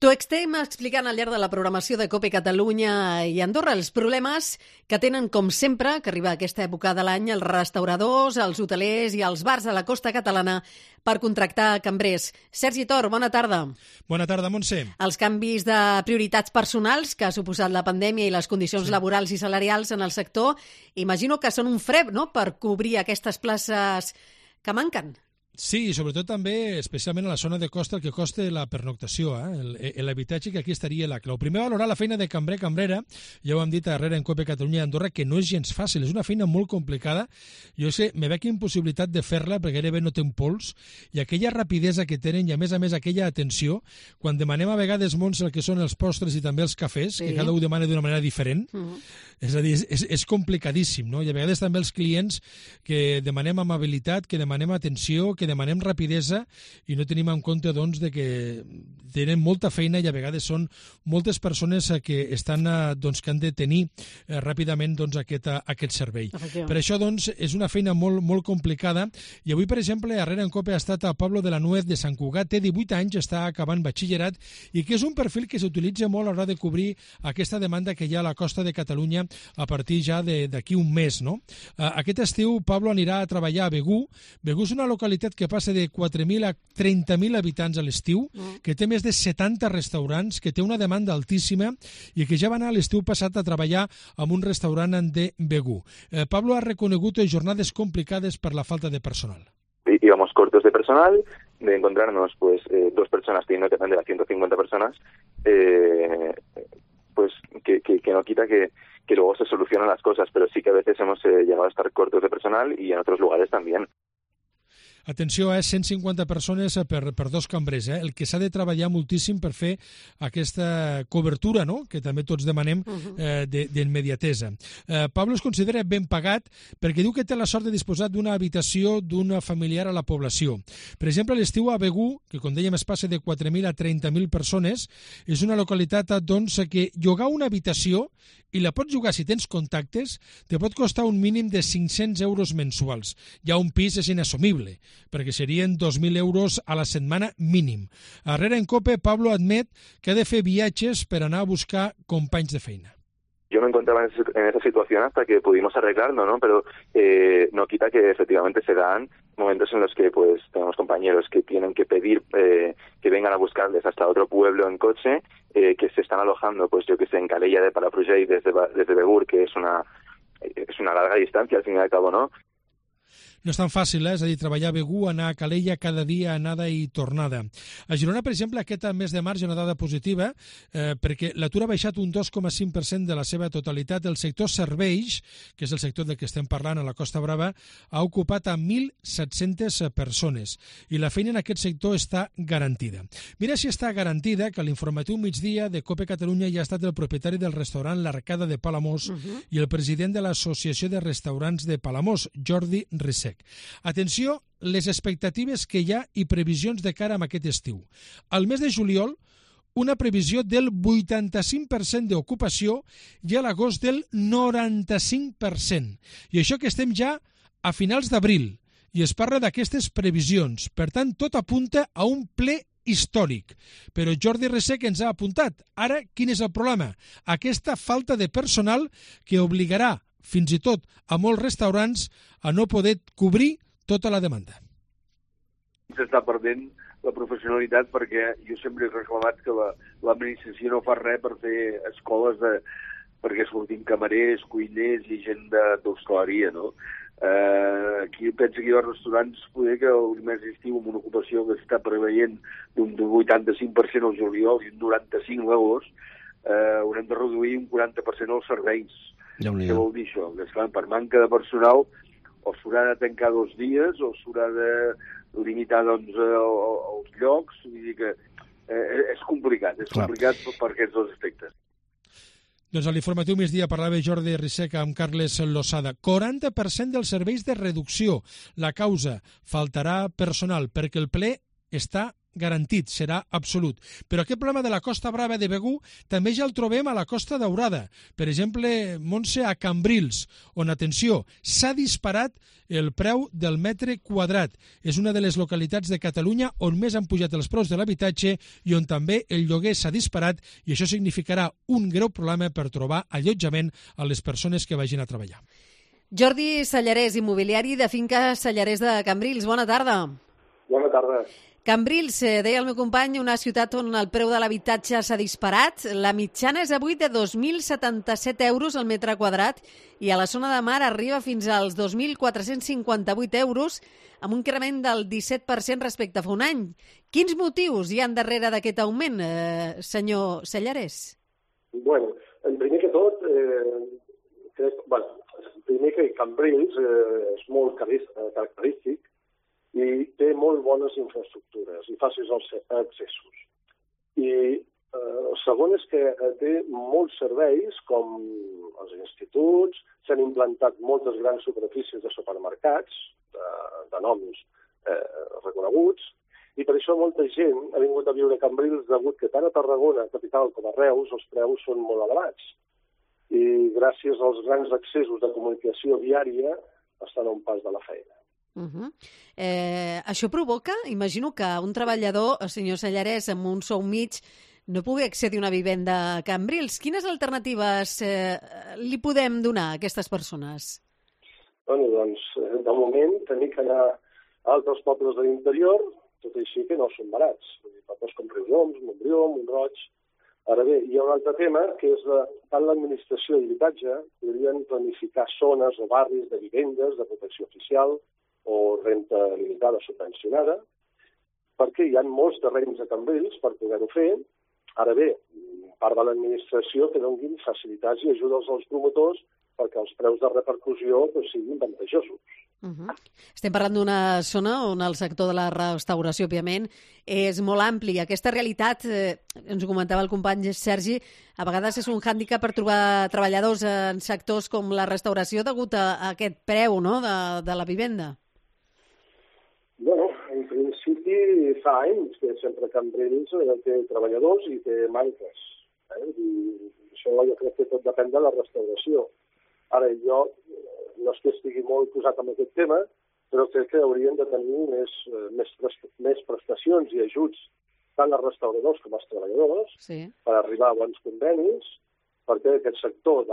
T'ho estem explicant al llarg de la programació de COPE Catalunya i Andorra, els problemes que tenen, com sempre, que arriba a aquesta època de l'any, els restauradors, els hotelers i els bars de la costa catalana per contractar cambrers. Sergi Tor, bona tarda. Bona tarda, Montse. Els canvis de prioritats personals que ha suposat la pandèmia i les condicions laborals i salarials en el sector, imagino que són un fre, no?, per cobrir aquestes places que manquen. Sí, i sobretot també, especialment a la zona de costa, el que costa la pernoctació, l'habitatge, que aquí estaria la clau. Primer, valorar la feina de cambrer, cambrera, ja ho hem dit darrere en COPE Catalunya i Andorra, que no és gens fàcil, és una feina molt complicada. Jo sé, me veig impossibilitat de fer-la, perquè gairebé no té un pols, i aquella rapidesa que tenen, i a més aquella atenció, quan demanem a vegades, Montse, el que són els postres i també els cafès, que cada un demana d'una manera diferent, és a dir, és complicadíssim, no? I a vegades també els clients que demanem amabilitat, que demanem atenció, que demanem rapidesa i no tenim en compte, doncs, de que tenen molta feina i a vegades són moltes persones que estan, doncs, que han de tenir ràpidament, doncs, aquest servei. Per això, doncs, és una feina molt, molt complicada i avui, per exemple, darrere en COPE ha estat a Pablo de la Nuez de Sant Cugat, té 18 anys, està acabant batxillerat i que és un perfil que s'utilitza molt a l'hora de cobrir aquesta demanda que hi ha a la costa de Catalunya a partir ja d'aquí un mes, no? Aquest estiu Pablo anirà a treballar a Begur. Begur és una localitat que passa de 4.000 a 30.000 habitants a l'estiu, que té més de 70 restaurants, que té una demanda altíssima i que ja va anar a l'estiu passat a treballar en un restaurant de Begur. Pablo ha reconegut jornades complicades per la falta de personal. Íbamos cortos de personal, de encontrarnos pues 2 personas teniendo que atender a 150 personas, pues que no quita que luego se solucionan las cosas, pero sí que a veces hemos llegado a estar cortos de personal y en otros lugares también. Atenció, 150 persones per 2 cambrers. El que s'ha de treballar moltíssim per fer aquesta cobertura, no?, que també tots demanem, d'immediatesa. Pablo es considera ben pagat perquè diu que té la sort de disposar d'una habitació d'una familiar a la població. Per exemple, a l'estiu a Begur, que com dèiem es passa de 4.000 a 30.000 persones, és una localitat, doncs, que llogar una habitació, i la pots llogar si tens contactes, te pot costar un mínim de 500 euros mensuals. Ja un pis és inassumible, perquè serien 2.000 euros a la setmana mínim. Darrere en COPE, Pablo admet que ha de fer viatges per anar a buscar companys de feina. Yo me encontraba en esa situación hasta que pudimos arreglarlo, ¿no? Pero no quita que efectivamente se dan momentos en los que pues tenemos compañeros que tienen que pedir que vengan a buscarles hasta otro pueblo en coche, que se están alojando, pues yo que sé, en Calella de Palafrugell desde Begur, que es una larga distancia al fin y al cabo, ¿no? No és tan fàcil, és a dir, treballar a Begur, anar a Calella cada dia, anada i tornada. A Girona, per exemple, aquest mes de març hi ha una dada positiva, perquè l'atur ha baixat un 2,5% de la seva totalitat. El sector serveis, que és el sector del que estem parlant a la Costa Brava, ha ocupat a 1.700 persones i la feina en aquest sector està garantida. Mira si està garantida que a l'informatiu migdia de COPE Catalunya hi ha estat el propietari del restaurant L'Arcada de Palamós i el president de l'Associació de Restaurants de Palamós, Jordi Risec. Atenció, les expectatives que hi ha i previsions de cara a aquest estiu. Al mes de juliol, una previsió del 85% d'ocupació i a l'agost del 95%. I això que estem ja a finals d'abril i es parla d'aquestes previsions. Per tant, tot apunta a un ple històric. Però Jordi Risec ens ha apuntat. Ara, quin és el problema? Aquesta falta de personal que obligarà fins i tot a molts restaurants a no poder cobrir tota la demanda. S'està perdent la professionalitat perquè jo sempre he reclamat que l'administració no fa res per fer escoles perquè sortim camarers, cuiners i gent d'hostaleria, no? Aquí penso que hi ha restaurants poder que el mes d'estiu amb una ocupació que està preveient d'un 85% al juliol i un 95% a l'agost, haurem de reduir un 40% els serveis. Què vol dir això? Que, esclar, per manca de personal o s'haurà de tancar 2 dies o s'haurà de limitar, doncs, els llocs. Vull dir que és complicat per aquests 2 aspectes. Doncs a l'informatiu migdia parlava Jordi Risec amb Carles Losada. 40% dels serveis de reducció. La causa, faltarà personal, perquè el ple està garantit, serà absolut. Però aquest problema de la Costa Brava de Begur també ja el trobem a la Costa Daurada. Per exemple, Montse, a Cambrils, on, atenció, s'ha disparat el preu del metre quadrat. És una de les localitats de Catalunya on més han pujat els preus de l'habitatge i on també el lloguer s'ha disparat, i això significarà un greu problema per trobar allotjament a les persones que vagin a treballar. Jordi Sallarès, immobiliari de Finca Sallarès de Cambrils. Bona tarda. Bona tarda. Cambrils, deia el meu company, una ciutat on el preu de l'habitatge s'ha disparat. La mitjana és avui de 2.077 euros al metre quadrat i a la zona de mar arriba fins als 2.458 euros, amb un increment del 17% respecte a fa un any. Quins motius hi han darrere d'aquest augment, senyor Sallarès? Bueno, en primer que tot, primer que Cambrils és molt característic i té molt bones infraestructures i fàcils accessos. I el segon és que té molts serveis, com els instituts, s'han implantat moltes grans superfícies de supermercats, de noms reconeguts, i per això molta gent ha vingut a viure a Cambrils degut que tant a Tarragona, capital, com a Reus, els preus són molt elevats. I gràcies als grans accessos de comunicació viària estan a un pas de la feina. Això provoca, imagino que un treballador, el senyor Sallarès, amb un sou mig, no pugui accedir a una vivenda a Cambrils. Quines alternatives li podem donar a aquestes persones? Bueno, doncs, de moment, tenir que anar a altres pobles de l'interior, tot així que no són barats. Pobles com Riudoms, Montbrió, Montroig. Ara bé, hi ha un altre tema, que és tant l'administració d'habitatge podrien planificar zones o barris de vivendes, de protecció oficial, o renta limitada subvencionada, perquè hi ha molts terrenys a Cambrils per poder-ho fer. Ara bé, part de l'administració que donin facilitats i ajudes als promotors perquè els preus de repercussió siguin avantatjosos. Estem parlant d'una zona on el sector de la restauració, òbviament, és molt ampli. Aquesta realitat, ens ho comentava el company Sergi, a vegades és un hàndicap per trobar treballadors en sectors com la restauració degut a aquest preu, no?, de la vivenda. Bueno, en principi fa anys que sempre Cambrils té treballadors i té manques. I això jo crec que tot depèn de la restauració. Ara, jo no és que estigui molt posat en aquest tema, però crec que haurien de tenir més prestacions i ajuts tant els restauradors com els treballadors per arribar a bons convenis, perquè aquest sector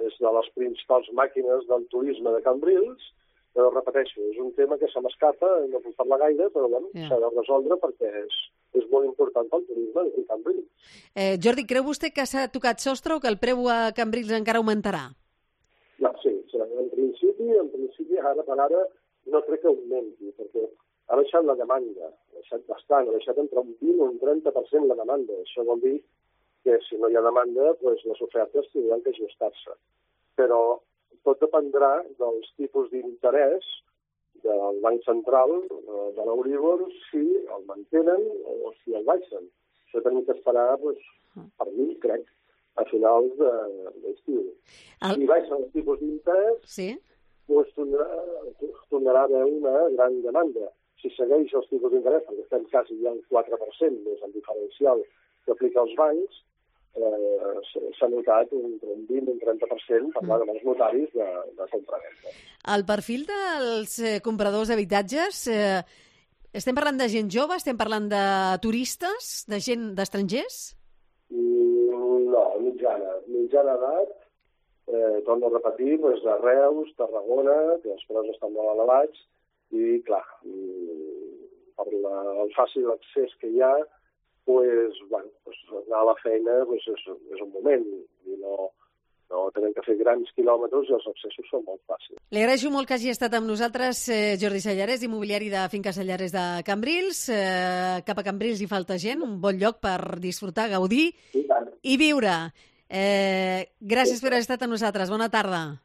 és de les principals màquines del turisme de Cambrils, però repeteixo, és un tema que se m'escapa, no puc parlar gaire, però s'ha de resoldre perquè és molt important pel turisme de Cambrils. Jordi, creu vostè que s'ha tocat sostre o que el preu a Cambrils encara augmentarà? No, sí, en principi, ara per ara, no crec que augmenti, perquè ha baixat la demanda, ha baixat bastant, ha baixat entre un 20 o un 30% la demanda. Això vol dir que si no hi ha demanda, les ofertes tindran que ajustar-se. Però tot dependrà dels tipus d'interès del Banc Central, de l'Euríbor, si el mantenen o si el baixen. Això tenim que esperar, per mi, crec, a finals d'estiu. Si baixen els tipus d'interès, tornarà a haver una gran demanda. Si segueix els tipus d'interès, perquè estem quasi ja al 4%, més el diferencial que aplica els bancs, s'ha notat entre un 20 i un 30% parlant amb els notaris de compra-venda. El perfil dels compradors d'habitatges, estem parlant de gent jove, estem parlant de turistes, de gent d'estrangers? No, mitjana edat, torno a repetir, de Reus, Tarragona, que els preus estan molt elevats, i clar, per el fàcil accés que hi ha, anar a la feina és un moment i no tenen que fer grans quilòmetres i els accessos són molt fàcils. Li agraeixo molt que hagi estat amb nosaltres Jordi Sallarès, immobiliari de Finca Sallarès de Cambrils. Cap a Cambrils hi falta gent, un bon lloc per disfrutar, gaudir i viure. Gràcies per haver estat amb nosaltres. Bona tarda.